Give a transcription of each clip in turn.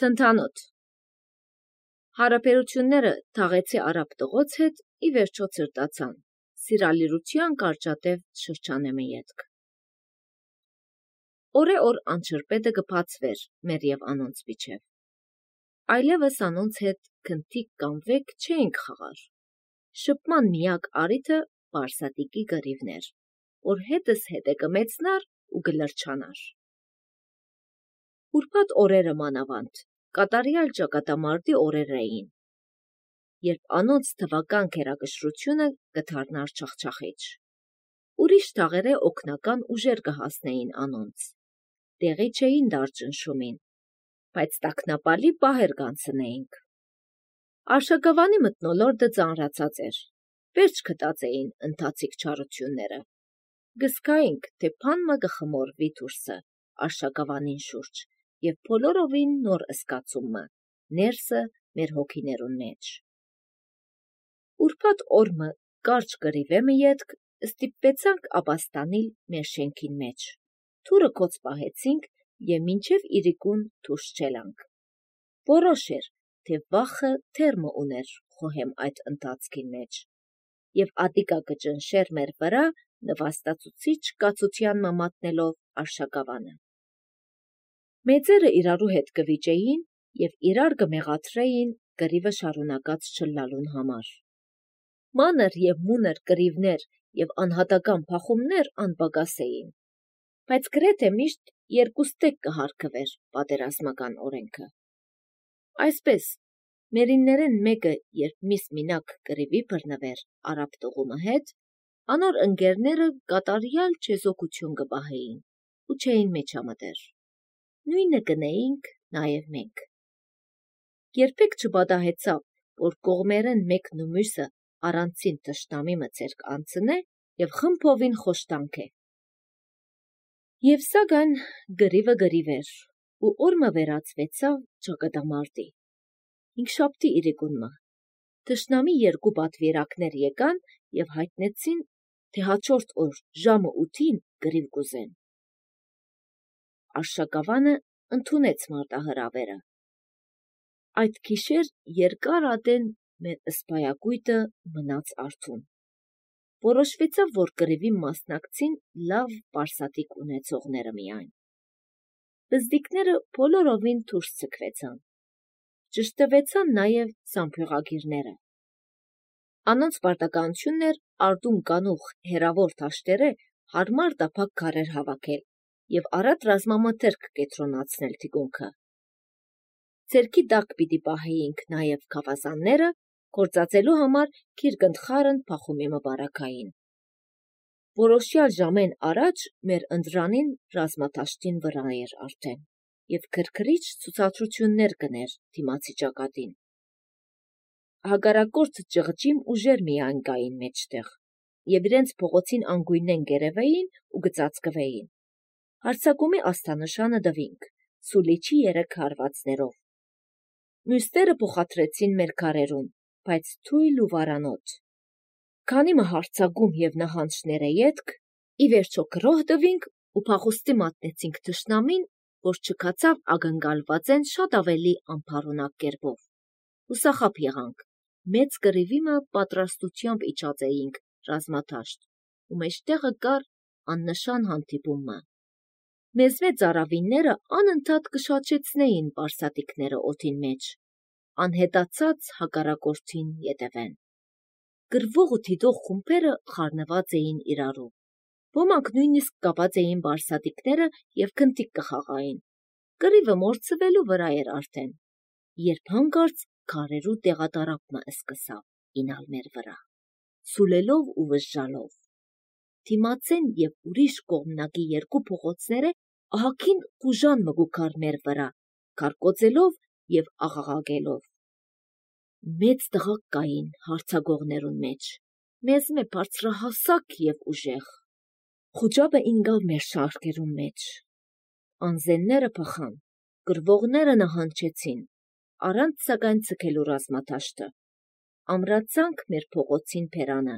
Թնդանոթ Հարաբերությունները թաղեցի արաբ տղոց հետ ի վերջո ցրտացան, սիրալիրության կարճատև շրջանեմը ետք։ Օր անչրպետը կբացվեր մեր և անոնց միջև։ Այլևս անոնց հետ քնթիկ կամ վեկ չէինք խաղար։ Շփման միակ առիթը Բարսատիկի գրիվն էր, որ հետս հետը կմեծնար ու կլրջանար։ Ուրբաթ օրերը մանավանդ կատարյալ ճակատամարտի օրեր էին, երբ անոնց թվական գերակշռությունը կդառնար չախչախիչ։ Ուրիշ թաղերը օգնական ուժեր կհասնեին անոնց, տեղի չէին դար ճնշումին, բայց տագնապալի պահեր կանցնեինք։ Արշակավանի մթնոլորտը ծանրացած էր, վերջ գտած էին ընթացիկ չարությունները։ Գսկայինք, թե փանմը կխմորվի դուրսը արշակավանին շուրջ և բոլորովին նոր զգացումը ներսը մեր հոգիներուն մեջ։ Ուրբաթ օրը կարճ կռիվեմը ետք ստիպվեցանք ապաստանիլ մեր շենքին մեջ, թուրը կոց պահեցինք և մինչև իրիկուն դուրս չելանք։ Որոշ էր, թե վախը թերմը ուներ խոհեմ այդ ընթացքին մեջ, և ատիկա կճնշեր մեր վրա նվաստացուցիչ կացության մատնելով արշակավանը։ Մեծերը իրարու հետ կվիճեին և իրար կմեղադրեին կռիվը շարունակած չլալուն համար։ Մանր և մունր կռիվներ և անհատական փախումներ անպակաս էին, բայց գրեթե միշտ երկուստեք կհարգվեր պատերազմական օրենքը։ Այսպես, մերիններեն մեկը, երբ միս մինակ կռիվի բռնվեր արաբ տղումը հետ, անոր ընկերները կատարյալ չեզոքություն կպահեին ու չէին մեջամտեր։ Նույնը կնեինք նաև մենք։ Երբեք չպատահեցավ, որ կողմերեն մեկն ու մյուսը առանցին թշնամի ցերկ անցնե և խմբովին խոշտանքե։ Եվ սակայն գրիվը գրիվ էր, ու օրը վերածվեցավ ճակատամարտի։ Հինգշաբթի իրիկունը թշնամի երկու պատվիրակներ եկան և հայտնեցին, թե հաջորդ օր ժամը 8-ին գրիվ կուզեն։ Արշակավանը ընդունեց մարտահրավերը։ Այդ գիշեր երկար ատեն մեր սպայակույտը մնաց արթուն։ Որոշվեցավ, որ կռիվի մասնակցին լավ պարսատիկ ունեցողները միայն։ Բզդիկները բոլորովին դուրս ցկվեցան։ Ճշտվեցան նաև զամբյուղագիրները։ Անոնց պարտականությունն էր արդուն կանուխ հերավոր դաշտերը հարմար տափակ քարեր հավաքել և առատ ռազմամթերք կենտրոնացնել թիկունքը։ Ձեռքի տակ պիտի պահեինք նաև գավազանները, գործածելու համար գիրկընթխարն փախումի մբարաքային։ Որոշյալ ժամեն առաջ մեր ընտրանին ռազմադաշտին վրա էր արդեն, և քրքրիչ ցուցադրություններ կներ դիմացի ճակատին։ Հակառակորդ ճղճիմ ուժեր միայն կային մեջտեղ, և իրենց փողոցին անգույնեն կերևեին ու կծածկվեին։ Հարձակումի աստանշանը տվինք սուլիչի 3 հարվածներով։ Մյուսները փոխադրեցին մեր քարերուն, բայց թույլ ու վարանոտ։ Քանի հարձակում և նահանջները ետք, ի վերջո գրոհ տվինք ու փախուստի մատնեցինք թշնամին, որ չքացավ ակնկալվածեն շատ ավելի անփառունակ կերպով։ Հուսախաբ եղանք, մեծ կռիվիմը պատրաստությամբ իջած էինք ռազմադաշտ, ու մեջտեղը կար աննշան հանդիպումը։ Մեզ մեծ ծարավինները անընդհատ կշաչեցնեին պարսատիկները օդին մեջ, անհետացած հակառակորդին ետևեն։ Գրվող ու դիտող խումբերը խառնված էին իրարու։ Ոմանք նույնիսկ կապած էին պարսատիկները և քնթիկ կխաղային։ Կռիվը մորցվելու վրա էր արդեն, երբ հանկարծ քարերու տեղատարափը սկսավ ինալ մեր վրա, սուլելով ու վժժալով։ Դիմացեն և ուրիշ կողմնակի երկու փողոցները ահագին ուժան մգուքար մեր վրա, կարկոծելով և աղաղակելով։ Մեծ տղաք կային հարձակողներուն մեջ, մեզմե բարձրահասակ և ուժեղ։ Խուճապը ինկավ մեր շարքերուն մեջ։ Անզենները փխան, գրվողները նահանջեցին, առանց սակայն ձգելու ռազմադաշտը։ Ամրացանք մեր փողոցին բերանը։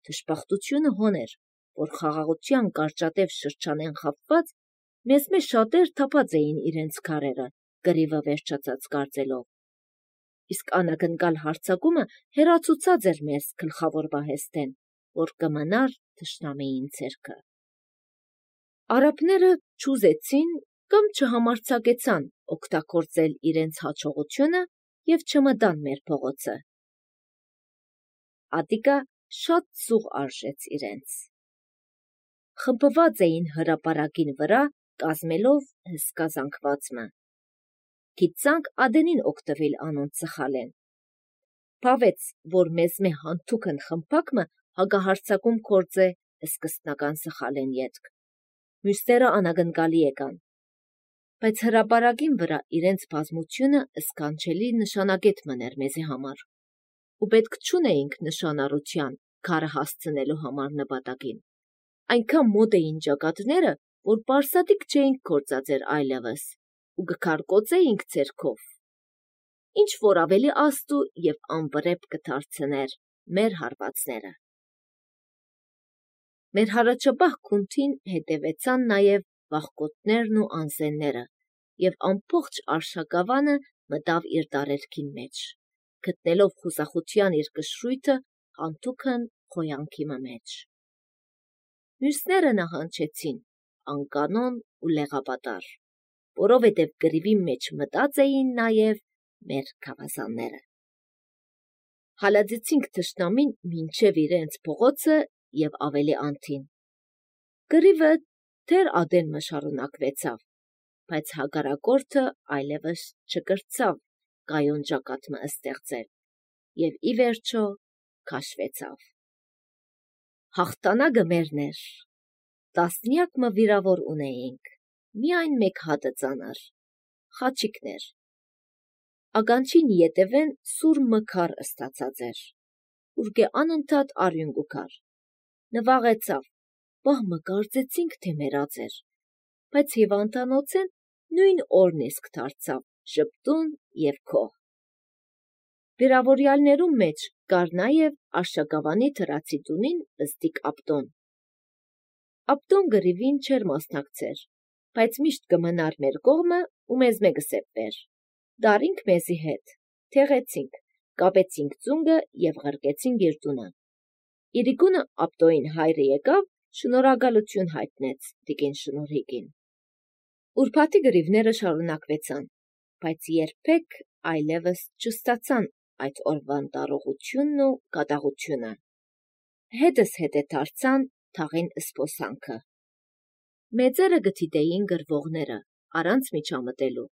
Դժբախտությունը հոն էր, որ խաղաղության կարճատև շրջանեն խաբված, մեզմե շատեր թափած էին իրենց քարերը, գրիվը վերջացած կարծելով։ Իսկ անագնկալ հարձակումը հեռացուցած էր մեզ գլխավոր պահեստեն, որ կմնար թշնամիին ձեռքը։ Արաբները չուզեցին կամ չհամարձակեցան օգտագործել իրենց հաջողությունը և չմտան մեր փողոցը։ Ատիկա շատ զուղ արժեց իրենց։ Խմբված էին հրապարակին վրա, կազմելով հսկա զանգվածը։ Գիտցանք ադենին օգտվել անոնց սխալեն։ Բավեց, որ մեզ մե հանթուքն խմբակը հագահարձակում կործե սկստնական սխալեն ետք։ Մյուսները անագնկալի եկան։ Բայց հրապարակին վրա իրենց բազմությունը սկանչելի նշանագետ մներ մեզի համար։ Ու պետք չունեինք նշանառության քարը հասցնելու համար նպատակին։ Այնքան մոտ էին ճակատները, որ պարսատիկ չէինք գործածեր այլևս, ու գքարկոծեինք ձերքով, ինչ որ ավելի աստու և անվրեպ կդարձներ մեր հարվածները։ Մեր հառաջապահ քունթին հետևեցան նաև վախկոտներն ու անզենները, և ամբողջ արշակավանը մտավ իր տարերքին մեջ, գտնելով խուզախության իր կշռույթը հանթուքն խոյանքի մեջ։ Մյուսները նահանջեցին, անկանոն ու լեղապատար, որովհետև գրիվի մեջ մտած էին նաև մեր գավազանները։ Հալածեցինք թշնամին մինչև իրենց փողոցը և ավելի անթին։ Գրիվը դեռ ադեն շարունակվեցավ, բայց հակառակորդը այլևս չկրցավ կայուն ճակատը ստեղծել և ի վերջո քաշվեցավ։ Հաղթանակը մերն էր։ Տասնյակ վիրավոր ունեինք, միայն մեկ հատը ծանր, խաչիկներ։ Ականջին ետևեն սուր մկար ստացած էր, ուրգե անընդհատ արյուն կուքար։ Նվաղեցավ, բահմը կարծեցինք, թե մեռած էր, բայց հիվանդանոցեն նույն օրն իսկ դարձավ ժպտուն և քոհ։ Վիրավորյալներում մեջ կար նաև Արշակավանի թրացի տունին ըստիկ Աբդոն։ Աբդոն գրիվին չէր մասնակցեր, բայց միշտ կմնար մեր կողմը ու մեզ մե կսեպվեր։ Դարինք մեզի հետ, թեղեցինք, կապեցինք ծունգը և ղրկեցինք իր տունը։ Իրիկունը Աբդոյին հայրը եկավ, շնորհակալություն հայտնեց տիկին Շնորհիկին։ Ուրբաթի գրիվները շարունակվեցան, բայց երբեք այլևս չստացան այդ օրվան տարողությունն ու կատաղությունը։ Հետս հետե դարձան թաղին սփոսանքը։ Մեծերը գտիտեին գրվողները առանց միջամտելու։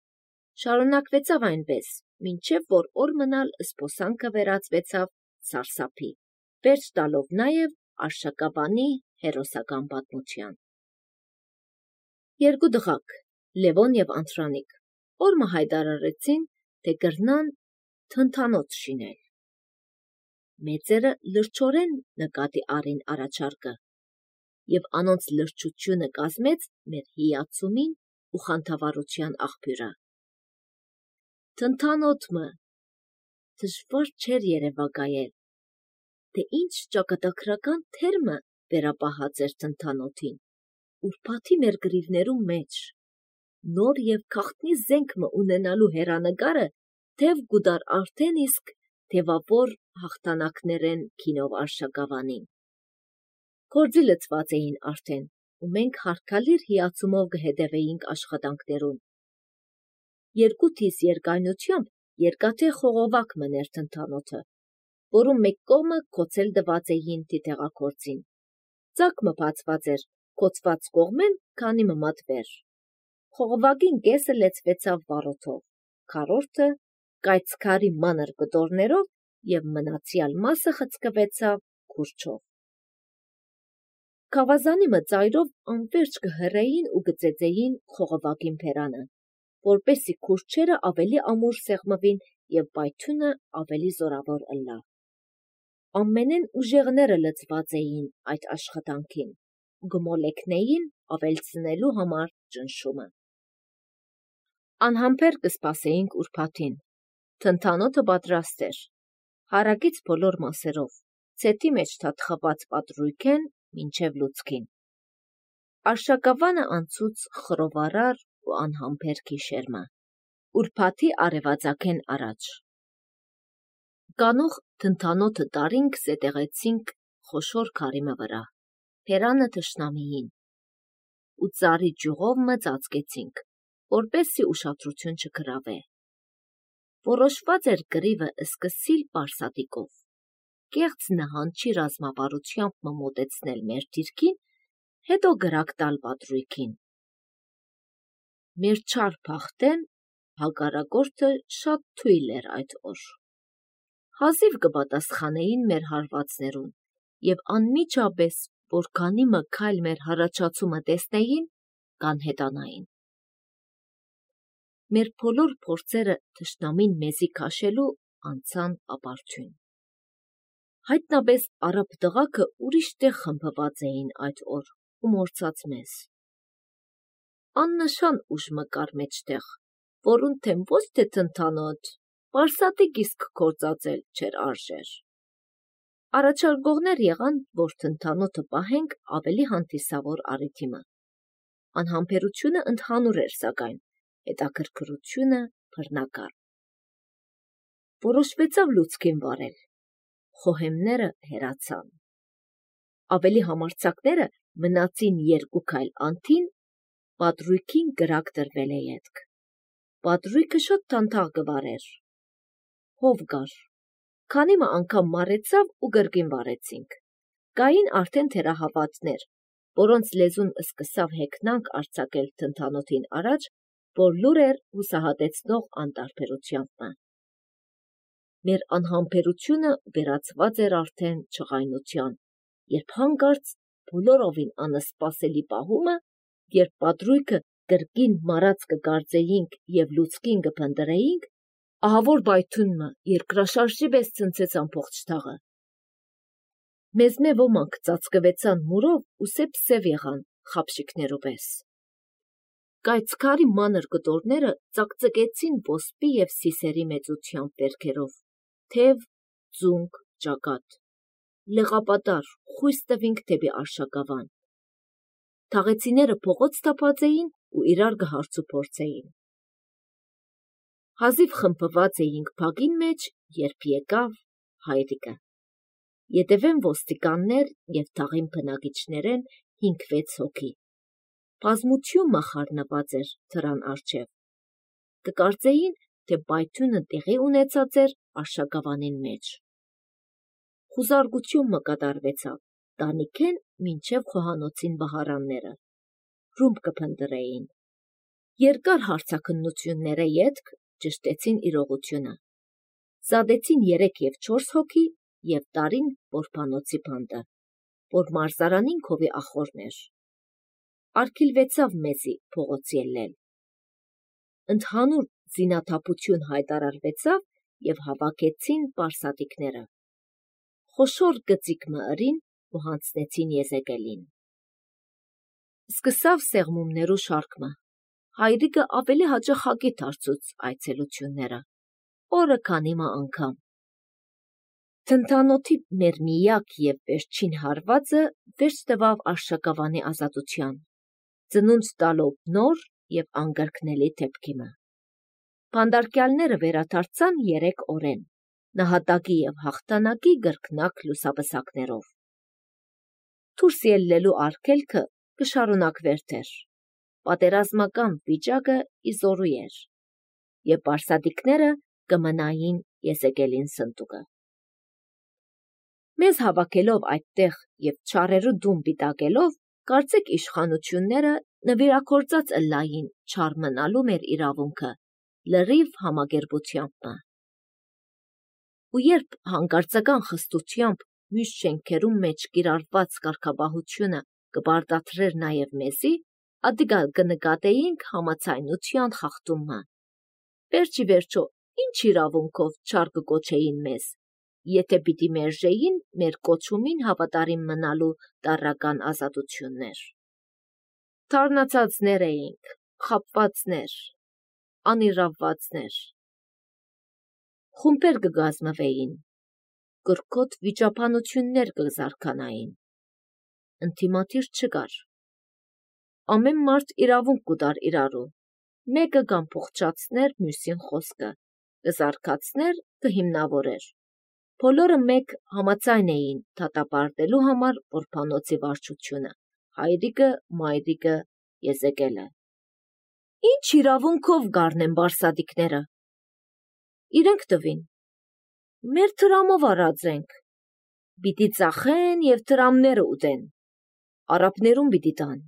Շարունակվեցավ այնպես, մինչև որ օր մնալ սփոսանքը վերածվեցավ սարսափի, վերջ տալով նաև Արշակավանի հերոսական պատմության։ Երկու դղակ, Լևոն և Անդրանիկ, օրը հայտարարեցին, թե կրնան թնդանոթ շինել։ Մեծերը լրջորեն նկատի առին առաջարկը, և անոնց լրջությունը կազմեց մեր հիացումին ու խանդավառության աղբյուրը։ Թնդանոթը դժվար չէր երևակայել, թե ինչ ճակատագրական թերմը վերապահած էր թնդանոթին, ուրբաթի մեր գրիվներում մեջ, նոր և գաղտնի զենքը ունենալու հեռանկարը թև կուտար արդեն իսկ թևավոր հաղթանակներեն քինով Արշակավանին։ Գործի լծված էին արդեն, ու մենք հարգալիր հիացումով կհետևեինք աշխատանքներուն։ Երկու տիս երկայնությամբ երկաթե խողովակ մներ թնդանոթը, որում մեկ կողմը գոցել տված էին թիթեղագործին։ Ծակը բացված էր գոցված կողմեն, քանի մատվեր։ Խողովակին կեսը լեցվեցավ վառոդով, քառորդը կայծքարի մանր կտորներով և մնացյալ մասը խցկվեցավ քուրջով։ Գավազանի ծայրով անվերջ կհռեին ու կծեծեին խողովակին բերանը, որպեսզի քուրջերը ավելի ամուր սեղմվին և պայթյունը ավելի զորավոր ըլլա։ Ամենեն ուժեղները լծված էին այդ աշխատանքին ու կմոլեգնեին ավելցնելու համար ճնշումը։ Անհամբեր կսպասեինք ուրբաթին։ Թնդանոթը պատրաստ էր, հարակից բոլոր մասերով, ցետի մեջ թաթխված պատրույգեն մինչև լուցկին։ Արշակավանը անցուց խռովարար ու անհամբեր գիշերմը, ուրբաթի արևածագեն առաջ։ Կանող թնթանոթը տարինք զետեղեցինք խոշոր քարիմը վրա, հերանը թշնամիին, ու ծառի ջուղով մը ծածկեցինք, որպեսզի ուշադրություն չգրավե։ Որոշված էր գրիվը սկսիլ պարսատիկով, կեղծ նահանջի ռազմավարությամբ մը մոտեցնել մեր դիրքին, հետո գրակ տալ պատրույքին։ Մեր չար փախտեն հակառակորդը շատ թույլ էր այդ օր։ Հազիվ կպատասխանեին մեր հարվածներուն, եւ անմիջապես, որքանի մը քայլ մեր հառաջացումը տեսնեին, կանհետանային։ Մեր բոլոր փորձերը թշնամին մեզի քաշելու անցան ապարդյուն։ Հայտնապես արաբ տղաքը ուրիշ տեղ խմբված էին այդ օր ու մորցած մեզ։ Աննշան ուժ մը կար մեջտեղ, որուն թեմ ոչ թե թնթանոթ, պարսատիկ իսկ կործածել չէր արժեր։ Առաջարկողներ եղան, որ թնթանոթը պահենք ավելի հանդիսավոր առիթիմը։ Անհամբերությունը ընդհանուր էր, սակայն հետաքրքրությունը բռնակալ։ Որոշվեցավ լուցկին վարել, խոհեմները հեռացան։ Ավելի համարձակները մնացին երկու քայլ անթին, պատրույքին գրակ դրվել է ետք։ Պատրույքը շատ թանթաղ գվարեր։ Հով գար, քանի մը անգամ մարեցավ ու գրգին վարեցինք։ Կային արդեն թերահավատներ, որոնց լեզուն սկսավ հեքնանք արձակել թնթանոթին առաջ, որ լուր էր հուսահատեցնող անտարբերությամբ։ Մեր անհամբերությունը վերածված էր արդեն չղայնության, երբ հանկարծ բոլորովին անսպասելի պահումը, երբ պատրույքը գրգին մարած կգարձեինք եւ լուցկին կփնտրեինք, ահավոր բայթունը երկրաշարժի պես ցնցեց ամբողջ թաղը։ Մեզ մե ոմանք ծածկվեցան մուրով ու սև եղան խապշիկներու պես։ Կայծքարի մանր կտորները ծակծկեցին ոսպի եւ սիսերի մեծությամբ վերքերով, թև, ձունկ, ճակատ, լեղապատար, խույս տվինք դեպի արշակավան։ Թաղեցիները փողոց թափած էին ու իրար կհարցուփորձեին։ Հազիվ խմբված էինք փագին մեջ, երբ եկավ հայրիկը։ Ետևեն ոստիկաններ եւ թաղին բնակիչներեն 5-6 հոգի։ Բազմություն մախառնված էր դրան առջև։ Կկարծեին, թե բայթյունը տեղի ունեցած էր արշակավանին մեջ։ Խուզարկություն մը կատարվեցավ, տանիքեն մինչև խոհանոցին բահարանները։ Ռումբ կփնտրեին։ Երկար հարցաքննությունները ետք ճշտեցին իրողությունը։ Զադեցին 3 եւ 4 հոգի եւ տարին որբանոցի բանդը, որ մարզարանին քովի ախորն էր։ Արգիլվեցավ մեզի փողոց ելնել։ Ընդհանուր զինաթափություն հայտարարվեցավ եւ հավաքեցին պարսատիկները։ Խոշոր գծիկ մը ըրին ու հանձնեցին Եզեկելին։ Սկսավ սեղմումներու շարքը։ Հայրիկը ավելի հաճախակի դարձուց այցելությունները, օրը քանի մը անգամ։ Թնթանոթի մեր միակ եւ վերջին հարվածը վերջ տվավ արշակավանի ազատության, ծնունդ տալով նոր եւ անգրկնելի դեպքիմը։ Բանդարկյալները վերադարձան 3 օրեն, նահատակի եւ հաղթանակի գրկնակ լուսաբսակներով։ Դուրս ելնելու արգելքը կշարունակվեր դեռ։ Պատերազմական վիճակը իզորու էր, եւ պարսատիկները կմնային Եզեկելին սնդուկը։ Մեզ հավաքելով այդտեղ եւ չարերու դում պիտակելով, կարծեք իշխանությունները նվիրակորցած ըլլային չար մնալու մեր իրավունքը լրիվ համագերբությամբ։ Ու երբ հանկարծական խստությամբ մյուս շենքերում մեջ կիրառված կարգապահությունը կբարդացրեր նաեւ մեզի, ադիգա կնկատեինք համացայնության խախտումը։ Վերջի վերջո, ինչ իրավունքով չար կկոչեին մեզ, եթե պիտի մերժեին մեր կոչումին հավատարիմ մնալու տարրական ազատություններ։ Թարնացածներ էինք, խաբվածներ, անիրավվածներ։ Խումբեր կգազմվեին, կրկոտ վիճաբանություններ կզարկանային։ Ընտիմադիր չկար։ Ամեն մարդ իրավունք կուտար իրարու, Մեկը կամփոխչացներ մյուսին խոսքը, կզարգացներ, կհիմնավորեր։ Բոլորը մեկ համաձայն էին դատապարտելու համար որբանոցի վարչությունը, հայրիկը, մայրիկը, Եզեկելը։ Ինչ իրավունքով գարնեն բարսադիկները։ Իրենք տվին։ Մեր տրամով արած ենք։ Պիտի ծախեն և տրամները ուտեն։ Արաբներում պիտի տան։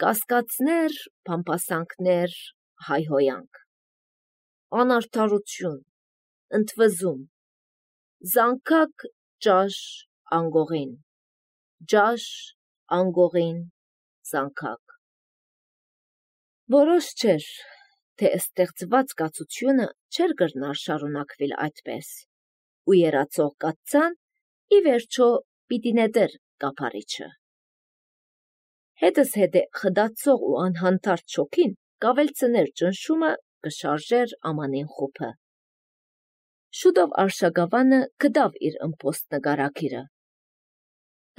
Կասկածներ, փամփասանքներ, հայհոյանք։ Անարդարություն, ընդվզում։ Զանգակ ճաշ անգողին, ճաշ անգողին, զանգակ։ Որոշ չէր, թե ստեղծված կացությունը չէր կրնար շարունակվել այդպես, ու երացող կաթցան ի վերջո պիտի նետեր կափարիչը։ Հետս հետե խդացող ու անհանդարտ շոքին կավելցներ ճնշումը, կշարժեր ամանին խուփը։ Շուտով Արշակավանը գտավ իր ըմբոստ նկարագիրը։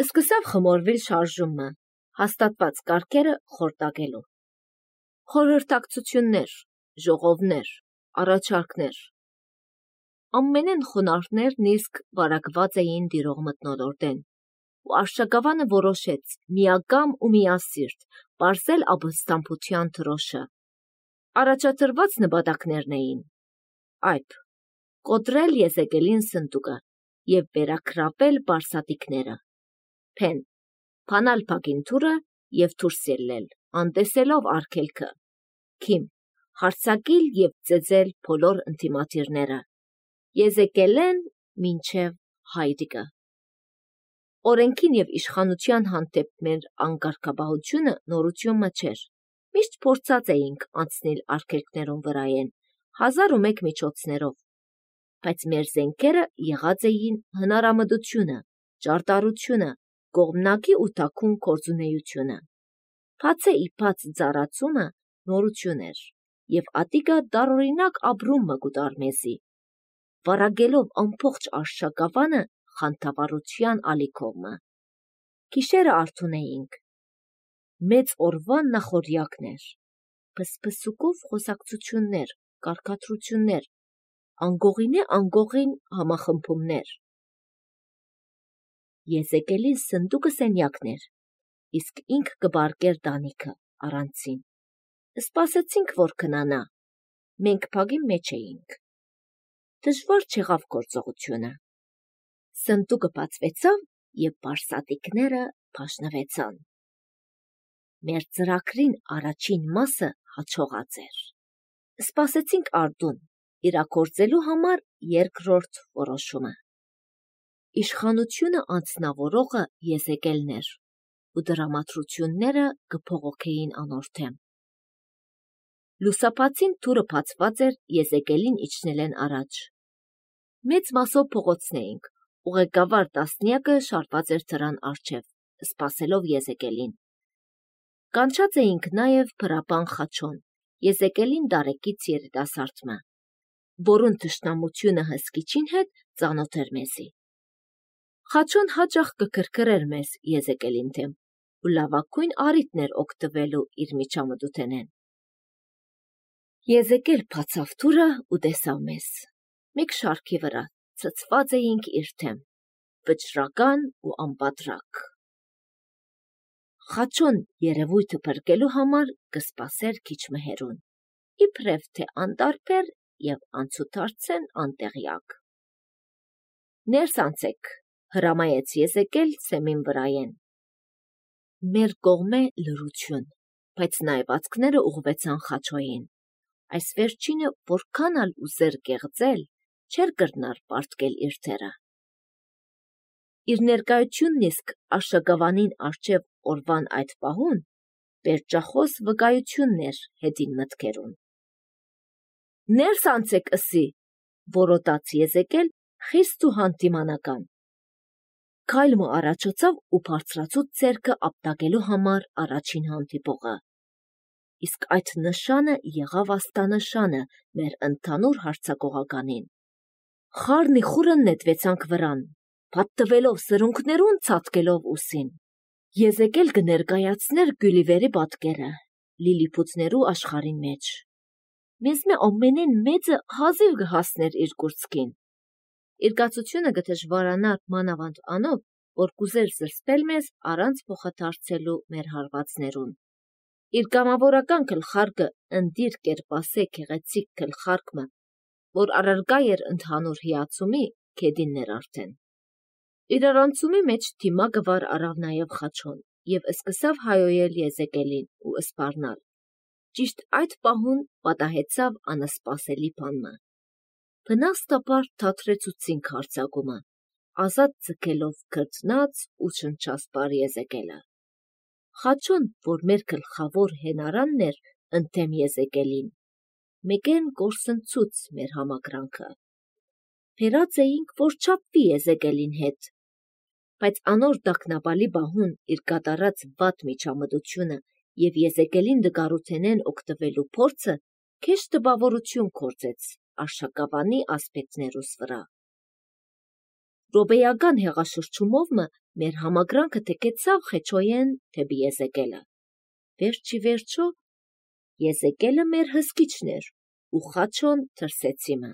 Սկսավ խմորվել շարժումը, հաստատված կարգերը խորտակելու։ Խորհրդակցություններ, ժողովներ, առաջարկներ։ Ամենեն խոնարհներն իսկ վարակված էին տիրող մթնոլորտեն, ու Արշակավանը որոշեց միակամ ու միասիրտ պարզել ապստամբության դրոշը։ Առաջադրված նպատակներն էին. Այբ, կոտրել Եզեկելին սնդուկը և վերագրավել բարսատիկները, փեն, փանալ փագինթուրը և դուրս ելնել, անտեսելով արգելքը, քիմ, հարձակիլ և ծեծել բոլոր ընդդիմադիրները, Եզեկելեն մինչև հայրիկը։ Օրենքին և իշխանության հանդեպ մեր անկարգապահությունը նորություն չէր, միշտ փորձած էինք անցնել արգելքներուն վրայեն, 1001 միջոցներով, բայց մեր զենքերը եղած էին հնարամտությունը, ճարտարությունը, կողմնակի ու թաքուն գործունեությունը։ Բացե իբաց ծառացումը նորություն էր, և ատիկը տարօրինակ ապրումը կուտար մեզի, վարագելով ամբողջ Արշակավանը խանդավառության ալիքովը։ Գիշերը արթուն էինք։ Մեծ օրվա նախօրյակներ, փսփսուկով խոսակցություններ, կարգադրություններ, անգողինե անգողին համախմբումներ։ Եզեկելի սնդուկը սենյակն էր, իսկ ինք կբարկեր տանիքը առանցին։ Սպասեցինք, որ քնանա։ Մենք փագի մեջ էինք։ Դժվար չեղավ գործողությունը։ Սնդուկը բացվեցավ և բարսատիկները փաշնվեցան։ Մեր ծրագրին առաջին մասը հաջողած էր։ Սպասեցինք արդուն, իրագործելու համար երկրորդ որոշումը։ Իշխանությունը անձնավորողը Եզեկելն էր, ու դրամատրությունները կփողոքեին անորդեմ։ Լուսաբացին դուռը բացված էր Եզեկելին իջնելեն առաջ։ Մեծ մասով փողոցն էինք, ուղեկավար տասնյակը շարված էր դրան առջև, սպասելով Եզեկելին։ Կանչած էինք նաև փրապան Խաչոն, Եզեկելին դարեկից երիտասարդը, որուն թշնամությունը հսկիչին հետ ծանոթ էր մեզի։ Խաչոն հաճախ կքրքրեր մեզ Եզեկելին դեմ, ու լավագույն առիթն էր օգտվելու իր միջամտութենեն։ Եզեկել բացավ դուռը ու տեսավ մեզ։ Մեկ շարքի վրա ցցված էինք իր դեմ, վճռական ու անպատրակ։ Խաչոն երևույթը փրկելու համար կսպասեր քիչ մհերուն, իբրև թե անտարբեր և անցուդարձեն անտեղյակ։ Ներս անցեք, հրամայեց Եզեկել սեմին վրայեն։ Մեր կողմէ լռություն, բայց նայվածքները ուղղվեցան Խաչոյին։ Այս վերջինը որքան ալ ուզեր կեղծել, չէր կրնար պարտկել իր դերը։ Իր ներկայությունն իսկ Արշակավանին առջև օրվան այդ պահուն պերճախոս վկայությունն էր հետին մտքերուն։ Ներս անցեք ըսի, որոտաց Եզեկել խիստ ու հանդիմանական։ Քայլը առաջացավ ու բարձրացուց ձեռքը ապտակելու համար առաջին հանդիպողը։ Իսկ այդ նշանը եղավ աստանշանը մեր ընդհանուր հարձակողականին։ Խառնի խուրը նետվեցանք վրան, փաթթվելով սրունքներուն, ցատկելով ուսին։ Եզեկել կներկայացներ Գյուլիվերի պատկերը, լիլիփութներու աշխարհին մեջ։ Մեզ մե ամենեն մեծը հազիվ կհասներ իր կուրծքին։ Իր գացությունը կդժվարանար մանավանդ անով, որ կուզեր զրսպել մեզ առանց փոխադարձելու մեր հարվածներուն։ Իր կամավորական գլխարկը ընդիր կերպասե գեղեցիկ գլխարկը, որ առարգա էր ընդհանուր հիացումի, կեդիններ արդեն։ Իր առանցումի մեջ դիմակը վար առավ նաև Խաչոն եւ սկսավ հայոյել Եզեկելին ու սպառնալ։ Ճիշտ այդ պահուն պատահեցավ անսպասելի բանը։ Բնաստաբար թատրեցուցին քարցակումը, ազատ ձգելով քրտնած ու շնչասպար Եզեկելը։ Խաչոն, որ մեր գլխավոր հենարանն էր ընդդեմ Եզեկելին, մեկեն կորսնցուց մեր համակրանքը։ Փերած էինք, որ չափվի Եզեկելին հետ, բայց անոր դակնապալի բահուն իր կատարած վատ միջամտությունը եւ Եզեկելին դգարութենեն օգտվելու փորձը քեշ տպավորություն կործեց արշակավանի ասպետներուս վրա։ Ռոբեական հեղաշրջումով մեր համակրանքը թեկեցավ խեչոյեն թեպի Եզեկելը։ Վերջի վերջո Եզեկելը մեր հսկիչն էր ու Խաչոն թրսեցիմը։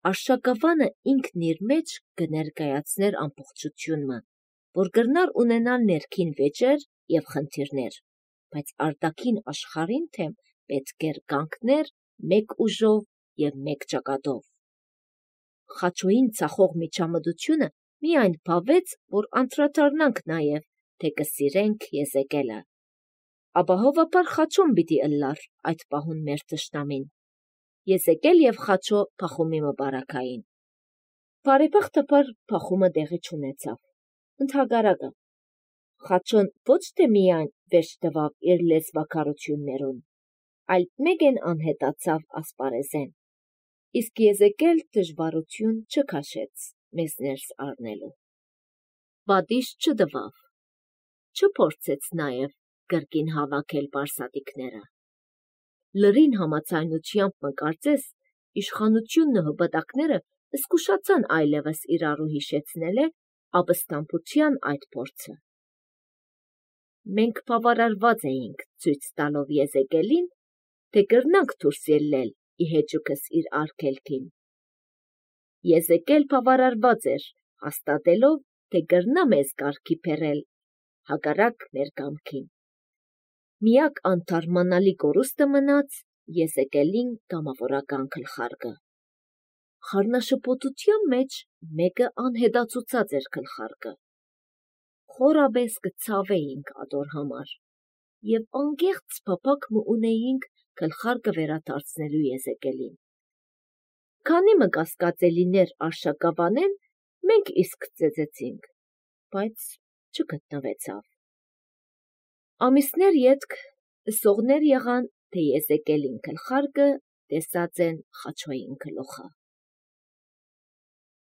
Արշակավանը ինքն իր մեջ կներկայացներ ամբողջությունը, որ գրնար ունենալ ներքին վեճեր եւ խնդիրներ, բայց արտաքին աշխարհին թեմ պետք էր կանգներ մեկ ուժով եւ մեկ ճակատով։ Խաչոյին ցախող միջամտությունը միայն բավեց, որ անդրադառնանք նաեւ, թե կսիրենք Եզեկելը։ Ապահովաբար Խաչոն պիտի ըլլար այդ պահուն մեր թշնամին։ Եզեկել եւ Խաչո փախումի մբարակային։ Բարեբախտաբար փախումը տեղի չունեցավ։ Ընդհակառակը Խաչոն ոչ թե միայն վերջ տվավ իր լեզվակարություններուն, այլ մեկեն անհետացավ ասպարեզեն։ Իսկ Եզեկել դժվարություն չքաշեց մեզ ներս առնելու։ Բադիշ չդվավ, չփորձեց նաեւ կրկին հավաքել պարսատիկները։ Լրին համացայնությամբ մկարծես իշխանությունն ու հպատակները զգուշացան այլևս իրարու հիշեցնել է ապստամբության այդ փորձը։ Մենք բավարարված էինք ցույց տալով Եզեկելին, թե կրնանք դուրս ելնել ի հեճուկս իր արգելքին։ Եզեկել բավարարված էր հաստատելով, թե կրնա մեզ կարգի բերել հակառակ մեր կամքին։ Միակ անթարմանալի կորուստը մնաց Եզեկելին կամավորական գլխարկը։ Խառնաշփոթության մեջ մեկը անհետացուցած էր գլխարկը։ Խորաբես կցավեինք ադոր համար եւ անկեղծ փափակ ունեինք գլխարկը վերադարձնելու Եզեկելին։ Քանի մը կասկածելիներ արշակավանեն, մենք իսկ ծեծեցինք, բայց չգտնվեցավ։ Ամիսներ ետք սողներ եղան, թե Եզեկելին գլխարկը տեսած են Խաչոյին գլուխը։